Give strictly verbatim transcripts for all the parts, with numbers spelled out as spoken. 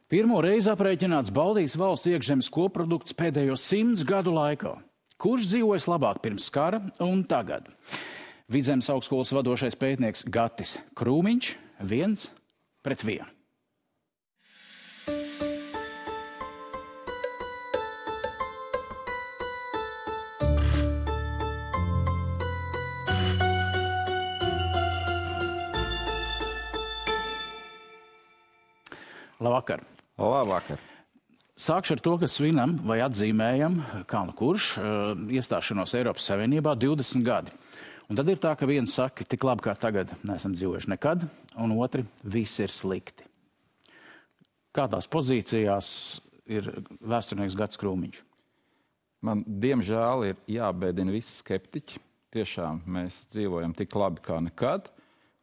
Pirmo reizi aprēķināts Baltijas valstu iekšzemes koprodukts pēdējo simts gadu laikā. Kurš dzīvojas labāk pirms kara un tagad? Vidzemes augstskolas vadošais pētnieks Gatis Krūmiņš viens pret vienu. Labvakar. Labvakar. Sākšu ar to, ka svinam vai atzīmējam, kā nu kurš, iestāšanos Eiropas Savienībā divdesmit gadi. Un tad ir tā, ka viens saka, tik labi kā tagad neesam dzīvojuši nekad, un otri, viss ir slikti. Kādās pozīcijās ir vēsturnieks Gatis Krūmiņš? Man, diemžēl, ir jābēdina visi skeptiķi. Tiešām mēs dzīvojam tik labi kā nekad,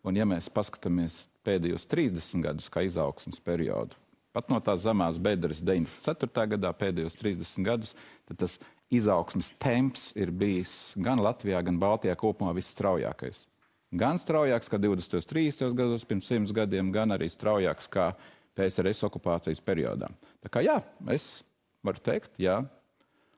un ja mēs paskatāmies pēdējos trīsdesmit gadus kā izaugsmes periodu, pat no tās zemās bedres deviņdesmit ceturtajā gadā pēdējos trīsdesmit gadus, tad tas izaugsmes temps ir bijis gan Latvijā, gan Baltijā kopumā visstraujākais. Gan straujāks kā divdesmitajos trīsdesmitajos gados pirms simts gadiem, gan arī straujāks kā P S R S okupācijas periodā. Tā kā jā, es varu teikt, jā.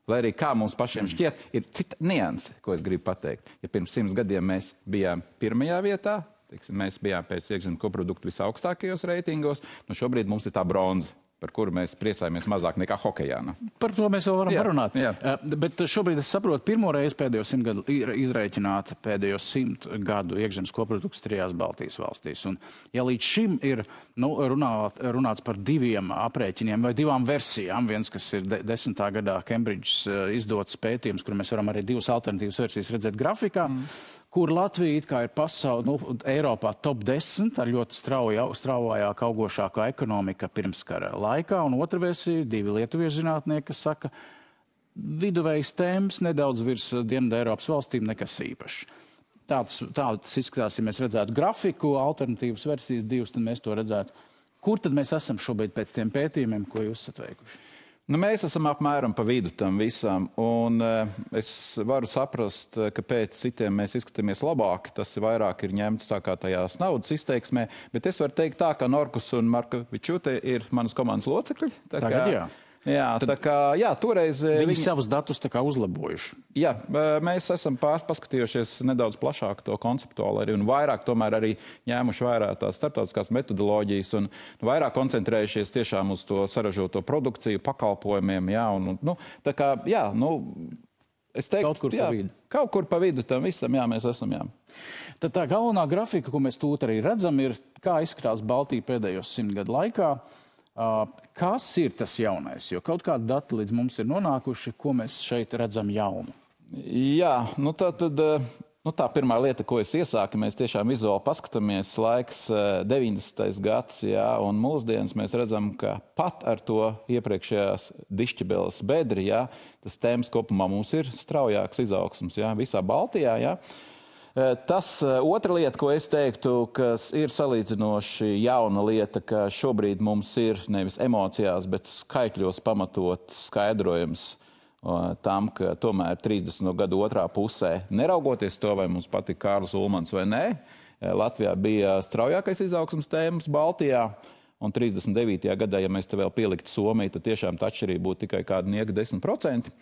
Lai arī kā mums pašiem šķiet, ir cita nianse, ko es gribu pateikt. Ja pirms simts gadiem mēs bijām pirmajā vietā, teiksim, mēs bijām pēc iekšzemes koproduktu visaugstākajos reitingos, nu šobrīd mums ir tā bronza, par kuru mēs priecājamies mazāk nekā hokejā. Ne? Par to mēs vēl varam jā, parunāt. Jā. Uh, bet šobrīd es saprotu, pirmo reizi pēdējo simt gadu ir izreikināta pēdējo simt gadu iekšzemes koprodukts trijās Baltijas valstīs. Un, ja līdz šim ir nu, runāt, runāts par diviem aprēķiniem vai divām versijām, viens, kas ir de desmitā gadā Cambridges uh, izdots pētījums, kur mēs varam arī divas alternatīvas versijas redzēt grafikā, mm. kur Latvija it kā ir pasauli, nu, Eiropā top desmit ar ļoti strauja, straujāk augošākā ekonomika pirms kara laikā, un otra versija, divi lietuviešu zinātnieki, kas saka, viduvējs temps nedaudz virs Dienvidu Eiropas valstīm nekas īpašs. Tāds, tāds izskatās, ja mēs redzētu grafiku, alternatīvas versijas divas, tad mēs to redzētu. Kur tad mēs esam šobrīd pēc tiem pētījumiem, ko jūs esat veikuši? Nu, mēs esam apmēram pa vidu tam visam, un uh, es varu saprast, ka pēc citiem mēs izskatāmies labāk. Tas vairāk ir ņemts tā kā tajās naudas izteiksmē, bet es varu teikt tā, ka Norkus un Markovičute ir manas komandas locekļi. Tā Tagad kā, jā. Jā, Tad tā kā, jā, toreiz... Viņi, viņi savus datus tā kā uzlabojuši. Jā, mēs esam pār, paskatījušies nedaudz plašāk to konceptuāli arī, un vairāk tomēr arī ņēmuši vērā tās starptautiskās metodoloģijas un vairāk koncentrējušies tiešām uz to saražoto produkciju, pakalpojumiem, jā, un, nu, tā kā, jā, nu, es teiktu, kaut kur jā, pa vidu. Kaut kur pa vidu tam visam, jā, mēs esam, jā. Tad tā galvenā grafika, ko mēs tūlīt arī redzam, ir, kā izskatās Baltija pēdējos simt gadu laikā. Uh, kas ir tas jaunais? Jo kaut kādi dati līdz mums ir nonākuši, ko mēs šeit redzam jaunu. Jā, nu tā tad, nu tā pirmā lieta, ko es iesāku, mēs tiešām vizuāli paskatāmies laiks deviņdesmitais gads, jā, un mūsdienas mēs redzam, ka pat ar to iepriekšējās dišķibeles bedri, jā, tas temps kopumā mums ir straujāks izaugsms, jā, visā Baltijā, jā. Tas otra lieta, ko es teiktu, kas ir salīdzinoši jauna lieta, ka šobrīd mums ir nevis emocijās, bet skaitļos pamatot skaidrojums tam, ka tomēr trīsdesmito gadu otrā pusē, neraugoties to, vai mums patīk Kārlis Ulmans vai nē, Latvijā bija straujākais izaugsmas tēmas Baltijā, un trīsdesmit devītajā gadā, ja mēs te vēl pieliktu Somiju, tad tiešām tā atšķirība būtu tikai kādi nieka desmit procenti.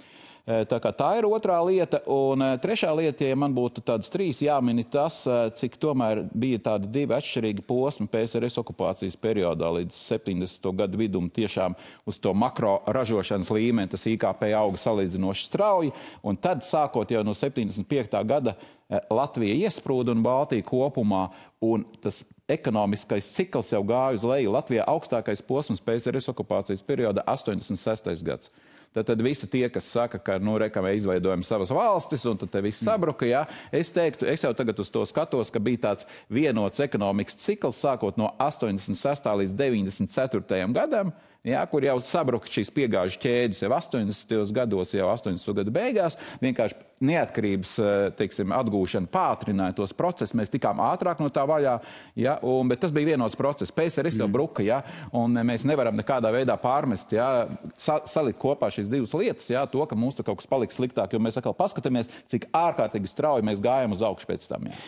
Tā kā tā ir otrā lieta, un trešā lieta, ja man būtu tādas trīs jāmini tas, cik tomēr bija tādi divi atšķirīgi posmi P S R S okupācijas periodā līdz septiņdesmito gadu vidum tiešām uz to makro ražošanas līmeni, tas I K P auga salīdzinoši strauji, un tad sākot jau no septiņdesmit piektā gada Latvija iesprūda un Baltija kopumā, un tas ekonomiskais cikls jau gāja uz leju. Latvijā augstākais posms P S R S okupācijas periodā astoņdesmit sestais gads. Tad, tad visi tie, kas saka, ka, nu, reka, mēs izveidojam savas valstis, un tad te viss sabruka, jā. Es teiktu, es jau tagad uz to skatos, ka bija tāds vienots ekonomikas cikls, sākot no astoņdesmit sestā līdz deviņdesmit ceturtajam gadam, jā, kur jau sabruka šīs piegāžu ķēdes jau astoņdesmitajos gados, jau astoņdesmito gadu beigās, vienkārši neatkarības, teiksim, atgūšana pātrināja tos procesus, mēs tikām ātrāk no tā vaļā, jā, un, bet tas bija vienots process. P S R S jau bruka, jā, un mēs nevaram nekādā veidā pārmest, jā, sa salikt kopā šīs divas lietas, jā, to, ka mums tur kaut kas paliks sliktāk, jo mēs atkal paskatāmies, cik ārkārtīgi strauji mēs gājam uz augšu pēc tam, jā.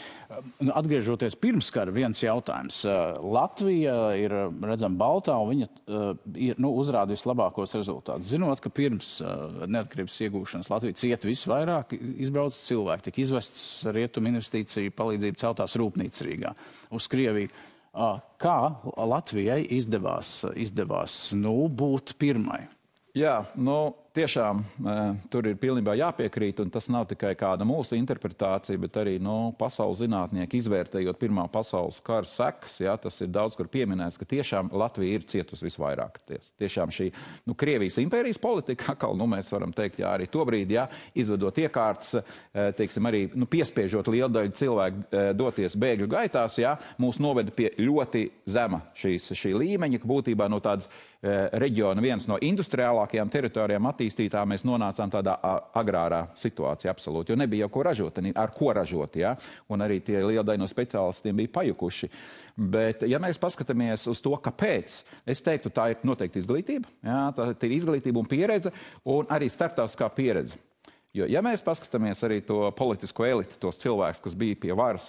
Atgriežoties pirms kara, viens jautājums. Latvija ir, redzam, Baltā, un viņa uh, ir nu, uzrādījis labākos rezultātus. Zinot, ka pirms uh, neatkarības iegūšanas Latvija cieta visvairāk, izbrauc cilvēki, tika izvests rietumu investīciju palīdzību celtās rūpnīcas Rīgā uz Krieviju. Uh, kā Latvijai izdevās, izdevās nu, būt pirmai? Jā, nu, tiešām tur ir pilnībā jāpiekrīt, un tas nav tikai kāda mūsu interpretācija, bet arī nu, pasaules zinātnieki izvērtējot Pirmā pasaules kara sekas. Jā, tas ir daudz kur pieminēts, ka tiešām Latvija ir cietusi visvairāk. Tiešām šī nu, Krievijas impērijas politika, atkal nu, mēs varam teikt, jā, arī tobrīd, jā, izvedot iekārtas, teiksim, arī nu, piespiežot lielu daļu cilvēku doties bēgļu gaitās, jā, mūs noveda pie ļoti zema šīs, šī līmeņa, ka būtībā no tādas reģiona viens no industriālākajām teritorijām attīstītā mēs nonācām tādā agrārā situācijā absolūti, jo nebija jau ko ražot, ar ko ražot, ja? Un arī tie liela daļa no speciālistiem bija pajukuši. Bet, ja mēs paskatāmies uz to, kāpēc, es teiktu, tā ir noteikti izglītība, ja? Tā ir izglītība un pieredze, un arī starptautiskā pieredze. Jo, ja mēs paskatāmies arī to politisko elitu, tos cilvēkus, kas bija pie varas,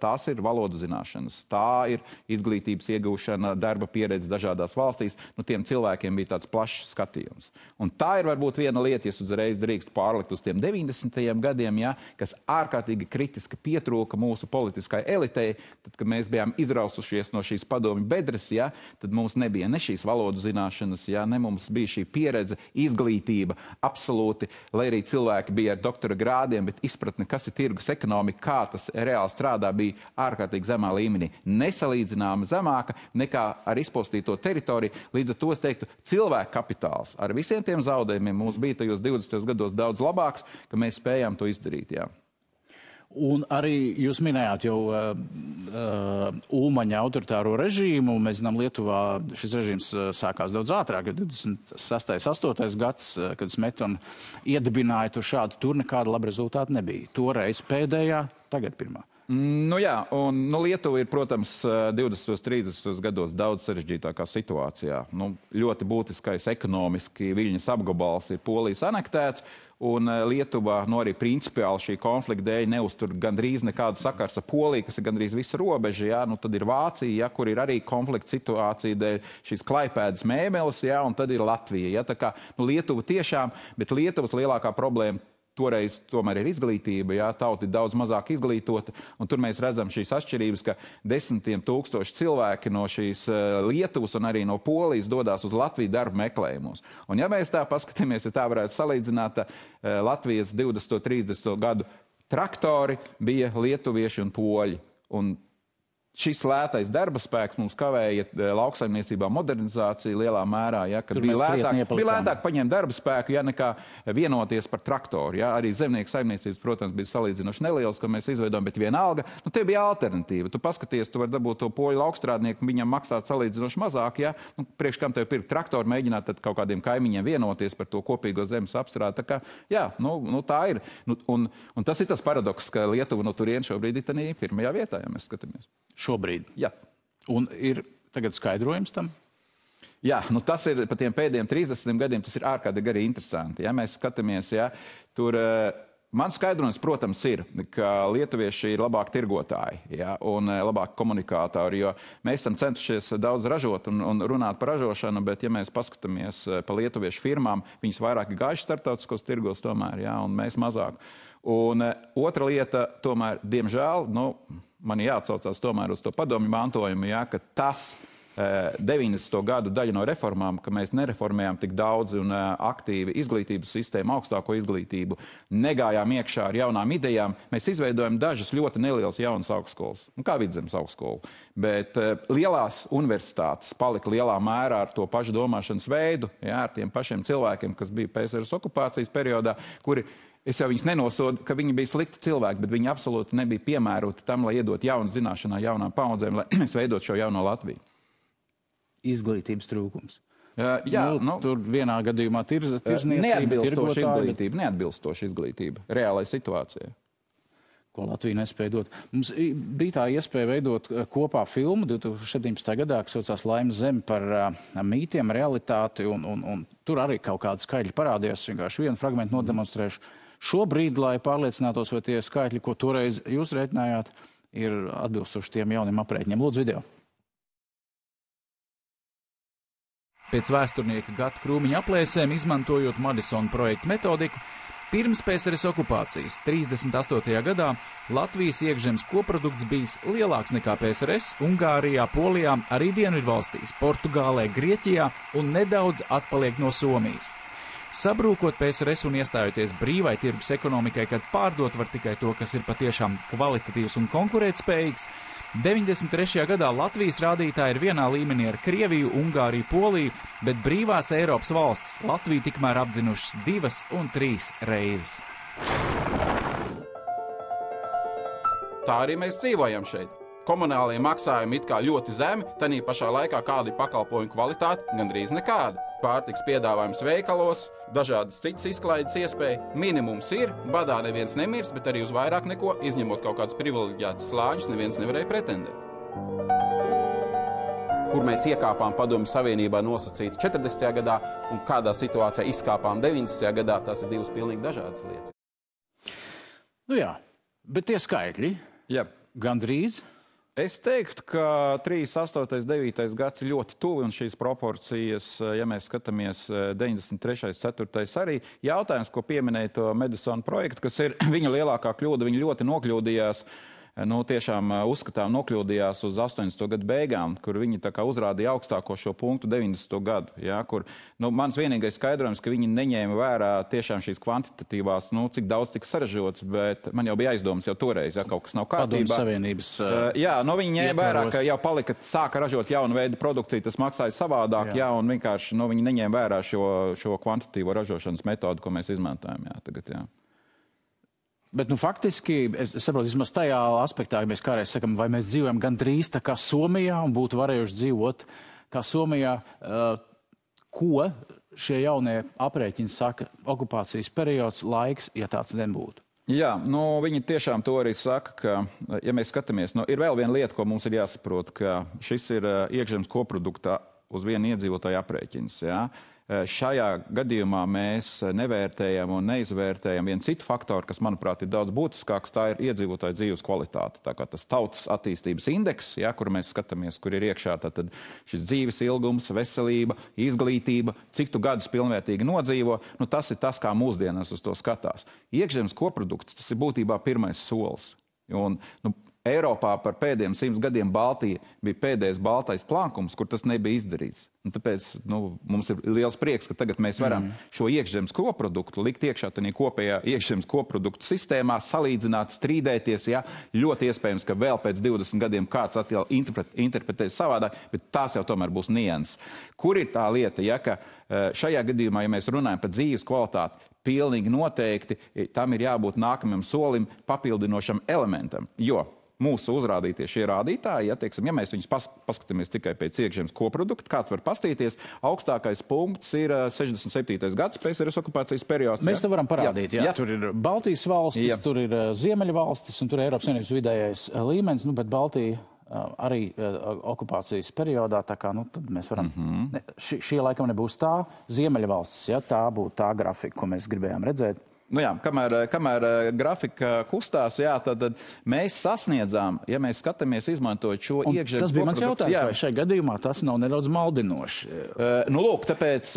tās ir valodu zināšanas, tā ir izglītības iegūšana, darba pieredze dažādās valstīs, nu tiem cilvēkiem bija tāds plašs skatījums. Un tā ir varbūt viena lieta, ja uzreiz drīkst pārlikt uz tiem deviņdesmitajiem gadiem, ja, kas ārkārtīgi kritiski pietrūka mūsu politiskai elitei, tad, kad mēs bijām izrausušies no šīs padomju bedres, ja, tad mums nebija ne šīs valodu zināšanas, ja, ne mums bija šī pieredze, izglītība, absolūti, lai arī cilvēki bija ar doktora grādiem, bet izpratne, kas ir tirgus ekonomika, kā tas reāli strādā, bija ārkārtīgi zemā līmenī. Nesalīdzināma zemāka nekā ar izpostīto teritoriju. Līdz ar to es teiktu, cilvēku kapitāls ar visiem tiem zaudējumiem mums bija tajos divdesmitajos gados daudz labāks, ka mēs spējām to izdarīt, jā. Un arī jūs minējāt jau uh, uh, Ulmaņa autoritāro režīmu. Mēs zinām, Lietuvā šis režīms uh, sākās daudz ātrāk, divdesmit sestais, astotais gads, uh, kad Smetona iedibināja tur šādu, tur nekāda laba rezultāta nebija. Toreiz pēdējā, tagad pirmā. Nu jā, un nu, Lietuva ir, protams, divdesmitajos, trīsdesmitajos gados daudz sarežģītākā situācijā. Nu, ļoti būtiskais ekonomiski Viļņas apgabals ir Polijas anektēts, un Lietuva, nu arī principiāli šī konflikta dēļ neuztur gandrīz nekādu sakars ar Poliju, kas ir gandrīz visa robeža, jā, nu tad ir Vācija, jā, kur ir arī konflikta situācija dēļ šīs Klaipēdas mēmeles, jā, un tad ir Latvija, jā, tā kā, nu Lietuva tiešām, bet Lietuvas lielākā problēma toreiz tomēr ir izglītība, jā, tauta ir daudz mazāk izglītota, un tur mēs redzam šīs atšķirības, ka desmitiem tūkstoši cilvēki no šīs uh, Lietuvas un arī no Polijas dodās uz Latviju darba meklējumos. Un ja mēs tā paskatāmies, ja tā varētu salīdzināt, uh, Latvijas divdesmito, trīsdesmito gadu traktori bija lietuvieši un poļi. Un šis lētais darba spēks mums kavēja lauksaimniecībā modernizāciju lielā mērā, ja, kad bija lētāk, bija lētāk paņemt darba spēku, ja, nekā vienoties par traktoru. Ja. Arī zemnieku saimniecības, protams, bija salīdzinoši nelielas, ka mēs izveidojam, bet vienalga, nu, te bija alternatīva. Tu paskaties, tu vari dabūt to poļu laukstrādnieku, viņam maksāt salīdzinoši mazāk, ja. Nu, priekš kam tev pirkt traktoru, mēģināt tad kaut kādiem kaimiņiem vienoties par to kopīgo zemes apstrādi. Tā kā, jā, nu, nu tā ir. Nu, un, un tas ir tas paradoks, ka Lietuva no turien šobrīd ir tanī pirmajā vietā, ja mēs skatāmies. Šobrīd. Jā. Un ir tagad skaidrojums tam? Jā, nu tas ir pa tiem pēdējiem trīsdesmit gadiem, tas ir ārkārtīgi arī interesanti. Ja mēs skatāmies, ja, tur man skaidrojums, protams, ir, ka lietuvieši ir labāk tirgotāji, ja, un labāk komunikātori, jo mēs esam centušies daudz ražot un, un runāt par ražošanu, bet ja mēs paskatāmies pa lietuviešu firmām, viņas vairāk gājuši starptautiskos tirgos tomēr, ja, un mēs mazāk. Un otra lieta, tomēr, diemžēl, nu, man jāatsaucās tomēr uz to padomju mantojumu, ja, ka tas deviņdesmito gadu daļa no reformām, ka mēs nereformējām tik daudz un aktīvi izglītības sistēmu, augstāko izglītību, negājām iekšā ar jaunām idejām, mēs izveidojam dažas ļoti nelielas jaunas augstskolas, kā Vidzemes augstskola. Bet lielās universitātes palika lielā mērā ar to pašu domāšanas veidu, ja, ar tiem pašiem cilvēkiem, kas bija P S R S okupācijas periodā, kuri es jau viņus nenosodu, ka viņi bija slikti cilvēki, bet viņi absolūti nebija piemēroti tam, lai iedot jaunu zināšanā jaunām paudzēm, lai mēs veidot šo jauno Latviju. Izglītības trūkums. Uh, jā, nu, nu, tur vienā gadījumā tirz, tirzniecība, neatbilstoša izglītība, neatbilstoša izglītība reālai situācijai. Ko Latvija nespēja dot. Mums bija tā iespēja veidot kopā filmu divtūkstoš septiņpadsmitajā gadā, kas saucās Laimes zeme par uh, mītiem, realitāti, un, un, un tur arī kaut kādi skaļi parādījās, vienkārši vienu fragmentu nodemonstrēšu. Šobrīd, lai pārliecinātos, vai tie skaitļi, ko toreiz jūs rēķinājāt, ir atbilstoši tiem jauniem aprēķiniem. Lūdzu, video. Pēc vēsturnieka Gata Krūmiņa aplēsēm, izmantojot Madisona projekta metodiku, pirms P S R S okupācijas trīsdesmit astotajā gadā Latvijas iekšzemes koprodukts bijis lielāks nekā P S R S Ungārijā, Polijā, arī Dienvidvalstīs, Portugālē, Grieķijā un nedaudz atpaliek no Somijas. Sabrūkot P S R S un iestājoties brīvai tirgus ekonomikai, kad pārdot var tikai to, kas ir patiešām kvalitatīvs un konkurētspējīgs, deviņdesmit trešajā gadā Latvijas rādītāji ir vienā līmenī ar Krieviju, Ungāriju, Poliju, bet brīvās Eiropas valstis Latviju tikmēr apdzinušas divas un trīs reizes. Tā arī mēs dzīvojam šeit. Komunālie maksājumi it kā ļoti zemi, tanī pašā laikā kāda ir pakalpojumu kvalitāte, gandrīz nekāda. Pārtiks piedāvājums veikalos, dažādas citas izklaides iespēja. Minimums ir, badā neviens nemirs, bet arī uz vairāk neko, izņemot kaut kādus privileģētus slāņus, neviens nevarēja pretendēt. Kur mēs iekāpām Padomju Savienībā nosacīti četrdesmitajā gadā un kādā situācijā izkāpām deviņdesmitajā gadā, tās ir divas pilnīgi dažādas lietas. Nu jā, bet tie skaitļi Jā. gandrīz. Es teiktu, ka trīsdesmit astotais, devītais gads ir ļoti tuvi, un šīs proporcijas, ja mēs skatāmies deviņdesmit trešais, ceturtais arī, jautājums, ko pieminēja to Madisona projektu, kas ir viņa lielākā kļūda, viņa ļoti nokļūdījās, nu tiešām uzskatām nokļūdījās uz astoņdesmito gadu beigām, kur viņi tā kā uzrādīja augstāko šo punktu deviņdesmito gadu, ja, kur, nu, mans vienīgais skaidrojums, ka viņi neņēma vērā tiešām šīs kvantitatīvās, nu, cik daudz tika saražots, bet man jau bija aizdomas jau toreiz, ja kaut kas nav kārtībā. Padomju Savienības uh, Jā, nu, viņi ņēma vērā, ietvaros. ka jau palika, sāka ražot jaunu veidu produkciju, tas maksāja savādāk, jā, jā un vienkārši, nu, viņi neņēma vērā šo, šo kvantitatīvo ražošanas metodu, ko mēs izmantojam, jā, tagad, jā. Bet, nu, faktiski, es saprotu, vismaz tajā aspektā, ja mēs kādreiz sakam, vai mēs dzīvojam gandrīz tā kā Somijā un būtu varējuši dzīvot kā Somijā, uh, ko šie jaunie aprēķini saka okupācijas periods, laiks, ja tāds nebūtu? Jā, nu, viņi tiešām to arī saka, ka, ja mēs skatāmies, nu, ir vēl viena lieta, ko mums ir jāsaprot, ka šis ir uh, iekšzemes koprodukta uz vienu iedzīvotāju aprēķins, jā. Šajā gadījumā mēs nevērtējam un neizvērtējam vienu citu faktoru, kas, manuprāt, ir daudz būtiskāks, tā ir iedzīvotāju dzīves kvalitāte. Tā kā tas tautas attīstības indeks, ja, kur mēs skatāmies, kur ir iekšā tātad šis dzīves ilgums, veselība, izglītība, cik tu gadus pilnvērtīgi nodzīvo, nu, tas ir tas, kā mūsdienās uz to skatās. Iekšzemes koprodukts, tas ir būtībā pirmais solis. Un, nu, Eiropā par pēdējiem simts gadiem Baltija bija pēdējais baltais plankums, kur tas nebija izdarīts. Un tāpēc nu, mums ir liels prieks, ka tagad mēs varam mm. šo iekšzemes koproduktu likt iekšā tādā kopējā iekšzemes koproduktu sistēmā, salīdzināt, strīdēties. Ja? Ļoti iespējams, ka vēl pēc divdesmit gadiem kāds atkal interpret, interpretēs savādāk, bet tās jau tomēr būs nianses. Kur ir tā lieta, ja, ka šajā gadījumā, ja mēs runājam par dzīves kvalitāti, pilnīgi noteikti tam ir jābūt nākamajam solim, papildinošam elementam, jo mūsu uzrādītie šie rādītāji, ja, teiksim, ja mēs viņus pas, paskatāmies tikai pēc iekšzemes koprodukta, kāds var pastīties, augstākais punkts ir sešdesmit septītais gads, P S R S okupācijas periods. Mēs ja? to varam parādīt, jā. jā. Tur ir Baltijas valstis, jā. Tur ir Ziemeļvalstis un tur ir Eiropas Savienības vidējais līmenis, nu, bet Baltija arī okupācijas periodā, tā kā, nu, tad mēs varam, mm-hmm. ne, šī, šī laikam nebūs tā Ziemeļvalstis, ja, tā būtu tā grafika, ko mēs gribējām redzēt. Nu jā, kamēr, kamēr grafika kustās, jā, tad, tad mēs sasniedzām, ja mēs skatāmies izmantot šo iekšzemes koproduktu. Tas bija mans jautājums, jā. Vai šajā gadījumā tas nav nedaudz maldinoši? Uh, nu, lūk, tāpēc,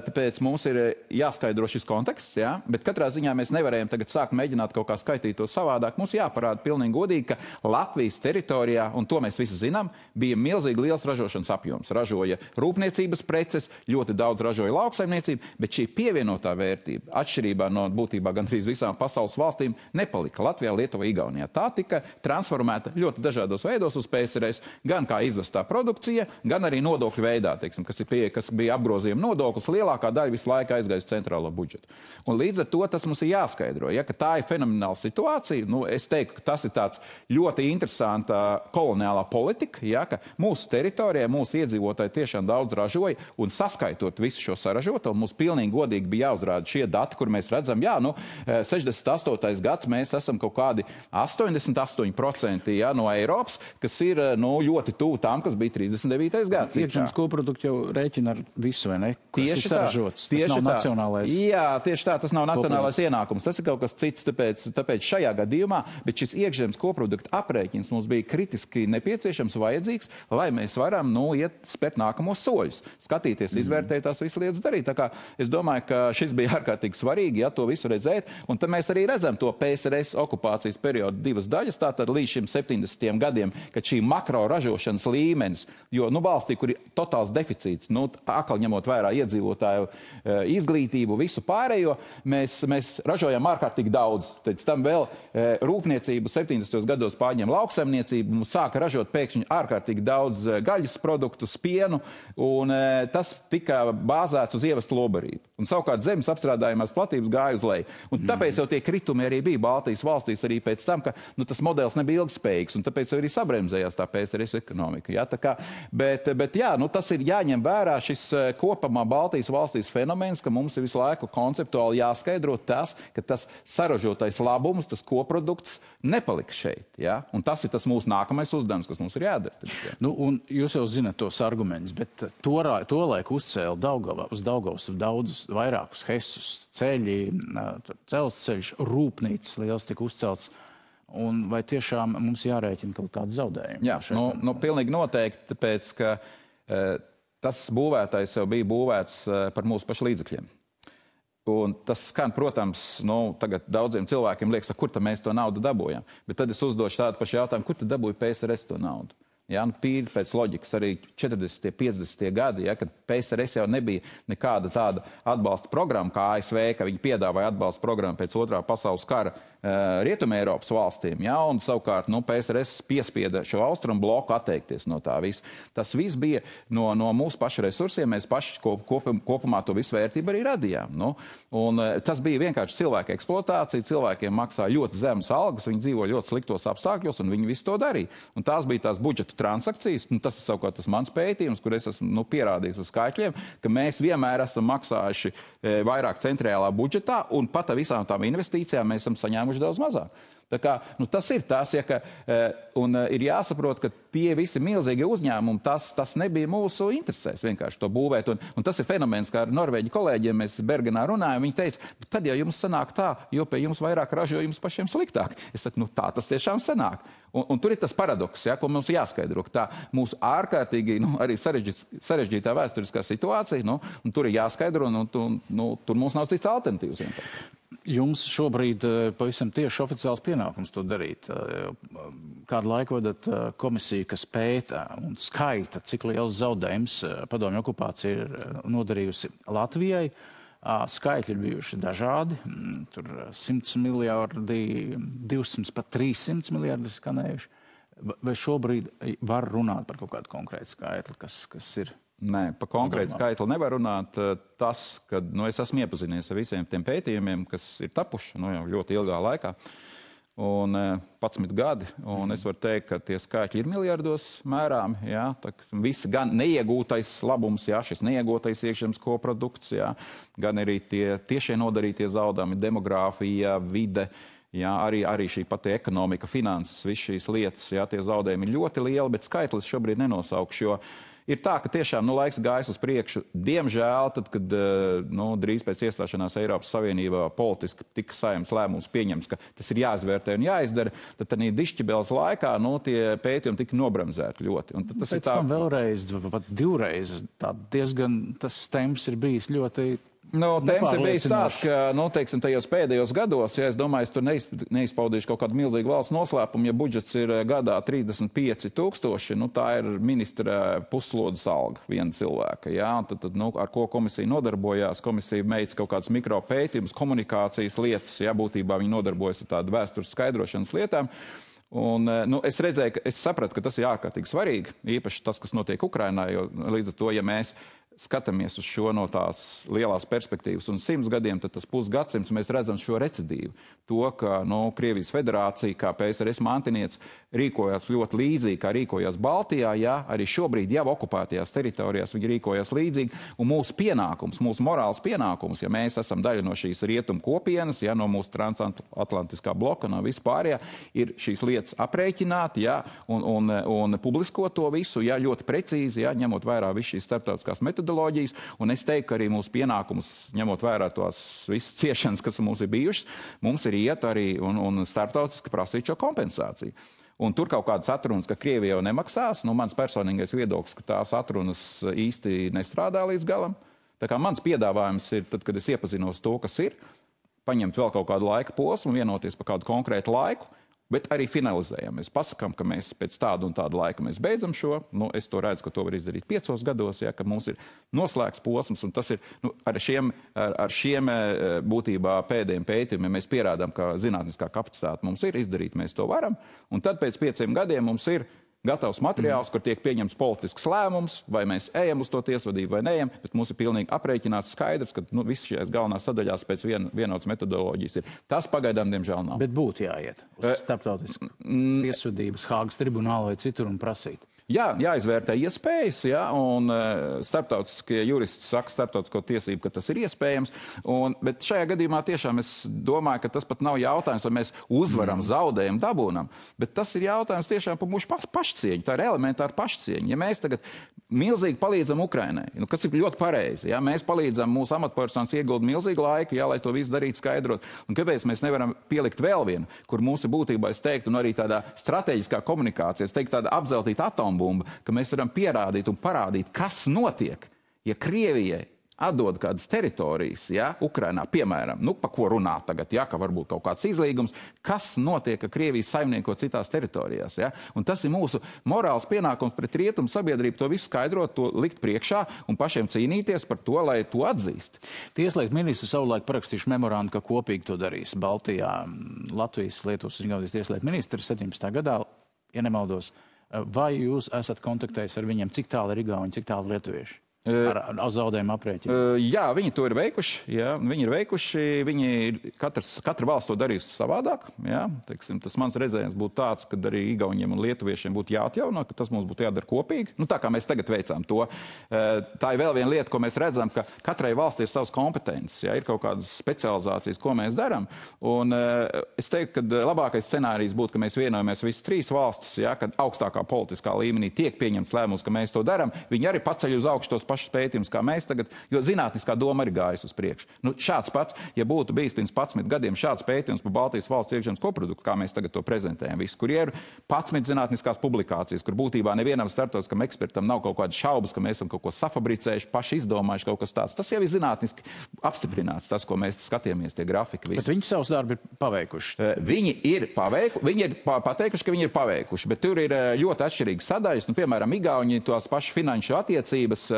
tāpēc mums ir jāskaidro šis konteksts, jā, bet katrā ziņā mēs nevarējam tagad sākt mēģināt kaut kā skaitīt to savādāk. Mums jāparāda pilnīgi godīgi, ka Latvijas teritorijā, un to mēs visi zinām, bija milzīgi liels ražošanas apjoms. Ražoja rūpniecības preces, ļoti daudz ražoja lauksaimniecība, bet šī pievienotā vērtība, atšķirībā no būtībā gandrīz visām pasaules valstīm, nepalika Latvijā, Lietuvā, Igaunijā. Tā tika transformēta ļoti dažādos veidos uz P S R S, gan kā izvestā produkcija, gan arī nodokļu veidā, teiksim, kas, ir pie, kas bija apgrozījuma nodoklis, lielākā daļa visu laiku aizgājas centrālo budžetu. Un līdz ar to tas mums ir jāskaidro, ja, ka tā ir fenomenāla situācija. Nu, es teiktu, ka tas ir tāds ļoti interesanta koloniālā politika, ja, ka mūsu teritorijā, mūsu iedzīvotāji tiešām daudz ražoja, un saskaitot visu šo saražoto, mums pilnīgi godīgi bija jāuzrāda šie dati, kur mēs redzam, jā, nu, nu, sešdesmit astotais gads mēs esam kaut kādi astoņdesmit astoņi procenti ja, no Eiropas, kas ir nu, ļoti tuvu tām, kas bija trīsdesmit devītais gads. Iekšzemes koproduktu jau rēķina ar visu, vai ne? Kas tieši ir saražots. Tas nav tā. Nacionālais. Jā, tieši tā, tas nav nacionālais koprodukts. Ienākums. Tas ir kaut kas cits, tāpēc, tāpēc šajā gadījumā, bet šis iekšzemes koproduktu aprēķins mums bija kritiski nepieciešams, vajadzīgs, lai mēs varam nu, iet spēt nākamos soļus, skatīties, izvērtēt tās visas lietas darīt. Tā kā es domāju, ka šis bija ārkārtīgi svarīgi, ja to visu redzēt, un tad mēs arī redzam to P S R S okupācijas periodu divas daļas, tātad līdz šim septiņdesmitajiem gadiem, kad šī makro ražošanas līmenis, jo nu, valstī, kur ir totāls deficīts, nu, akli ņemot vērā iedzīvotāju e, izglītību, visu pārējo, mēs, mēs ražojam ārkārtīgi daudz. Tad tam vēl e, rūpniecību septiņdesmitajos gados pārņem lauksaimniecību, mums sāka ražot pēkšņi ārkārtīgi daudz e, gaļas produktus, pienu, un e, tas tika bāzēts uz ievestu lobarību. Un savukārt zemes apstrādājumās platības gāja uz leju. Un tāpēc jau tie kritumi arī bija Baltijas valstīs arī pēc tam, ka nu, tas modelis nebija ilgspējīgs, un tāpēc arī sabremzējās tā P S R S ekonomika. Ja? Tā kā, bet, bet jā, nu, tas ir jāņem vērā šis kopumā Baltijas valstīs fenomens, ka mums ir visu laiku konceptuāli jāskaidro tas, ka tas saražotais labums, tas koprodukts nepalika šeit. Ja? Un tas ir tas mūsu nākamais uzdevums, kas mums ir jādara. Tad, ja. Nu, un jūs jau zināt tos argumentus, bet to, to laiku uzcēla Daugava, uz Daugavas daudzus vairākus hesus, ceļi, dzelzceļš, rūpnīcas liels tika uzcelts. Un vai tiešām mums jārēķina kaut kādu zaudējumu? Jā, nu, nu, pilnīgi noteikti, tāpēc, ka e, tas būvētais jau bija būvēts e, par mūsu pašu līdzekļiem. Un tas skan, protams, nu, tagad daudziem cilvēkiem liekas, kur tad mēs to naudu dabūjam. Bet tad es uzdošu tādu pašu jautājumu, kur tad dabūja P S R S to naudu? Ja, nu, pīri pēc loģikas arī četrdesmitie, piecdesmitie gadi, ja, kad P S R S jau nebija nekāda tāda atbalsta programma kā A S V, ka viņi piedāvāja atbalsta programmu pēc otrā pasaules kara uh, Rietumē Eiropas valstīm, ja, un savukārt nu, P S R S piespieda šo austrumu bloku atteikties no tā visa. Tas viss bija no, no mūsu pašu resursiem, mēs paši kop, kop, kopumā to visu vērtību arī radījām. Nu, un uh, tas bija vienkārši cilvēka eksploatācija, cilvēkiem maksā ļoti zemes algas, viņi dzīvo ļoti sliktos apstākļos, un viņi visu to darīja. Un tās bija tās budžeta transakcijas, nu, tas ir savukārt tas mans pētījums, kur es esmu nu, pierādījis ar skaitļiem, ka mēs vienmēr esam maksājuši e, vairāk centrālā budžetā, un pat ar visām tām investīcijām mēs esam saņēmuši daudz mazāk. Tā kā, nu, tas ir tas, ja, ka, un ir jāsaprot, ka tie visi milzīgie uzņēmumi, tas, tas nebija mūsu interesēs vienkārši to būvēt. Un, un tas ir fenomens, kā ar norvēģi kolēģiem mēs Bergenā runājam, viņi teica, tad jau jums sanāk tā, jo pie jums vairāk ražo, jums pašiem sliktāk. Es saku, nu tā tas tiešām sanāk. Un, un tur ir tas paradoks, ja, ko mums jāskaidro, ka tā mūsu ārkārtīgi, nu, arī sarežģītā vēsturiskā situācija, nu, un tur ir jāskaidro, un, un, nu, tur mums nav cits alternatīvs vienkārši. Jums šobrīd pavisam tieši oficiāls pienākums to darīt. Kādu laiku vadat komisiju, kas pēta un skaita, cik liels zaudējums padomju okupācija ir nodarījusi Latvijai. Skaitļi ir bijuši dažādi. Tur simts miljardi, divsimt pat trīssimts miljardi skanējuši. Vai šobrīd var runāt par kaut kādu konkrētu skaitli, kas, kas ir? Nē, pa konkrētu skaitli nevar runāt. Tas, ka nu, es esmu iepazinies ar visiem tiem pētījumiem, kas ir tapuši nu, jau ļoti ilgā laikā, un padsmit gadi, un es varu teikt, ka tie skaitļi ir miljardos mērām, jā, tā, visi gan neiegūtais labums, jā, šis neiegūtais iekšzemes koprodukts, jā, gan arī tie tiešie nodarītie zaudējumi, demogrāfija, vide, jā, arī, arī šī pati ekonomika, finanses, viss šīs lietas, jā, tie zaudējumi ir ļoti lieli, bet skaitlis šobrīd nenosaukšu, jo ir tā, ka tiešām nu, laiks gājis uz priekšu. Diemžēl, tad, kad nu, drīz pēc iestāšanās Eiropas Savienībā politiski tika Saeimas lēmums pieņems, ka tas ir jāizvērtē un jāizdara, tad tādā dišķibeles laikā nu, tie pētījumi tika nobremzēti ļoti. Un tad tas pēc ir tā... tam vēlreiz, pat divreiz, tā diezgan tas temps ir bijis ļoti... Nu, temps ir bijis tāds, ka, nu, teiksim, tajos pēdējos gados, ja es domāju, es tur neizpaudīšu kaut kādu milzīgu valsts noslēpumu, ja budžets ir gadā trīsdesmit pieci tūkstoši, nu, tā ir ministra puslodes alga viena cilvēka, jā, tad, tad, nu, ar ko komisija nodarbojās, komisija veic kaut kādas mikropētījumus, komunikācijas lietas, jā, būtībā viņi nodarbojas ar tādu vēstures skaidrošanas lietām. Un, nu, es redzēju, ka es sapratu, ka tas ir ārkārtīgi svarīgi, īpaši tas, kas notiek Ukrainā, jo līdz ar to, ja mēs skatāmies uz šo no tās lielās perspektīvas un simts gadiem, tad tas pusgadsimts mēs redzam šo recidīvu. To, ka nu, Krievijas federācija, kā P S R S mantiniec, rīkojās ļoti līdzīgi, kā rīkojās Baltijā, jā, arī šobrīd jau okupētajās teritorijās viņi rīkojās līdzīgi, un mūsu pienākums, mūsu morāls pienākums, ja mēs esam daļa no šīs rietumu kopienas, ja, no mūsu transatlantiskā bloka, no vispārējā, ir šīs lietas aprēķināt, ja, un, un, un publiskot to visu, ja, ļoti precīzi, ja, ņemot vērā visu šīs starptautiskās metodoloģijas, un es teiktu, ka arī mūsu pienākums, ņemot vērā tos visas ciešanas, kas mums ir bijušas, mums ir iet arī un, un starptautiski prasīt šo kompensāciju. Un tur kaut kādas atrunas, ka Krievija jau nemaksās. Nu, mans personīgais viedoklis, ka tās atrunas īsti nestrādā līdz galam. Tā kā mans piedāvājums ir, tad, kad es iepazinos to, kas ir, paņemt vēl kaut kādu laika posmu, vienoties par kādu konkrētu laiku, bet arī finalizējam. Mēs pasakām, ka mēs pēc tādu un tādu laika mēs beidzam šo. Nu, es to redzu, ka to var izdarīt piecos gados, ja, ka mums ir noslēgts posms, un tas ir nu, ar šiem, ar, ar šiem būtībā pēdējiem pētījumiem mēs pierādām, ka zinātniskā kapacitāte mums ir izdarīt, mēs to varam, un tad pēc pieciem gadiem mums ir gatavs materiāls, mm. kur tiek pieņemts politisks lēmums, vai mēs ejam uz to tiesvadību vai neejam, bet mums ir pilnīgi aprēķināts skaidrs, ka nu, viss šajās galvenās sadaļās pēc vien, vienotas metodoloģijas ir. Tas pagaidām, diemžēl, nav. Bet būtu jāiet uz starptautisku mm. tiesvedības Hāgas tribunālu vai citur un prasīt. Jā, jāizvērtē iespējas, jā, un uh, starptautiskie juristi saka starptautisko tiesību, ka tas ir iespējams, un, bet šajā gadījumā tiešām es domāju, ka tas pat nav jautājums, vai mēs uzvaram, mm. zaudējam, dabūnam, bet tas ir jautājums tiešām par mūsu paš, pašcieņu, tā ir elementāra pašcieņa. Ja mēs tagad milzīgi palīdzam Ukrainai, nu, kas ir ļoti pareizi, ja mēs palīdzam mūsu amatpersonas iegulda milzīgu laiku, jā, lai to visu darītu skaidrot, un kāpēc mēs nevaram pielikt vēl vienu, kur mūsu būtībā, es teiktu, un arī tādā strateģiskā komunikācijā, es teiktu, tāda apzeltīta atombumba, ka mēs varam pierādīt un parādīt, kas notiek, ja Krievijai atdod kādas teritorijas, ja, Ukrainā, piemēram, nu, pa ko runāt tagad, ja, ka varbūt kaut kāds izlīgums, kas notiek, ka Krievija saimnieko citās teritorijās, ja, un tas ir mūsu morāls pienākums pret rietumu sabiedrību to visu skaidrot, to likt priekšā un pašiem cīnīties par to, lai to atzīst. Tieslietu ministri savulaik parakstījuši memorandu, ka kopīgi to darīs Baltijā. Latvijas Lietuvas un Igaunijas tieslietu ministri septiņpadsmitajā gadā, ja nemaldos. Vai jūs esat kontaktējis ar viņiem, cik tālu ir Igauni, cik tālu lietuvieši? Ar, ar zaudējumu aprēķinu? Jā, viņi to ir veikuši. Jā, viņi ir veikuši. Viņi ir, katrs, katra valsts to darīs savādāk. Jā, teiksim, tas mans redzējums būtu tāds, ka arī Igauniem un lietuviešiem būtu jāatjauno, ka tas mums būtu jādara kopīgi. Nu, tā kā mēs tagad veicām to. Tā ir vēl viena lieta, ko mēs redzam, ka katrai valstī ir savas kompetences. Jā, ir kaut kādas specializācijas, ko mēs darām. Un es teiktu, ka labākais scenārijs būtu, ka mēs vienojamies visas trīs valstis, jā, kad augstākā politiskā līmenī tiek pieņemts lēmums, ka mēs to darām. Viņi arī paceļ uz augšu tos pašus pētījumus, kā mēs tagad, jo zinātniskā doma arī gājas uz priekšu. Nu, šāds pats, ja būtu bijis pirms padsmit gadiem šāds pētījums par Baltijas valsts iekšzemes koproduktu, kā mēs tagad to prezentējam, visu, kur ir padsmit zinātniskās publikācijas, kur būtībā nevienam starptautiskam ekspertam nav kaut kādas šaubas, ka mēs esam kaut ko safabricējuši, paši izdomājuši kaut kas tāds. Tas jau ir zinātniski apstiprināts, tas, ko mēs skatījāmies, tie grafiki. Visi. Bet viņi savus darbu ir paveikuši. Viņi ir paveikuši, viņi ir pateikuši, ka viņi ir paveikuši, bet tur ir ļoti atšķirīgas sadaļas. Nu, piemēram, Igauni tās pašas finanšu attiecības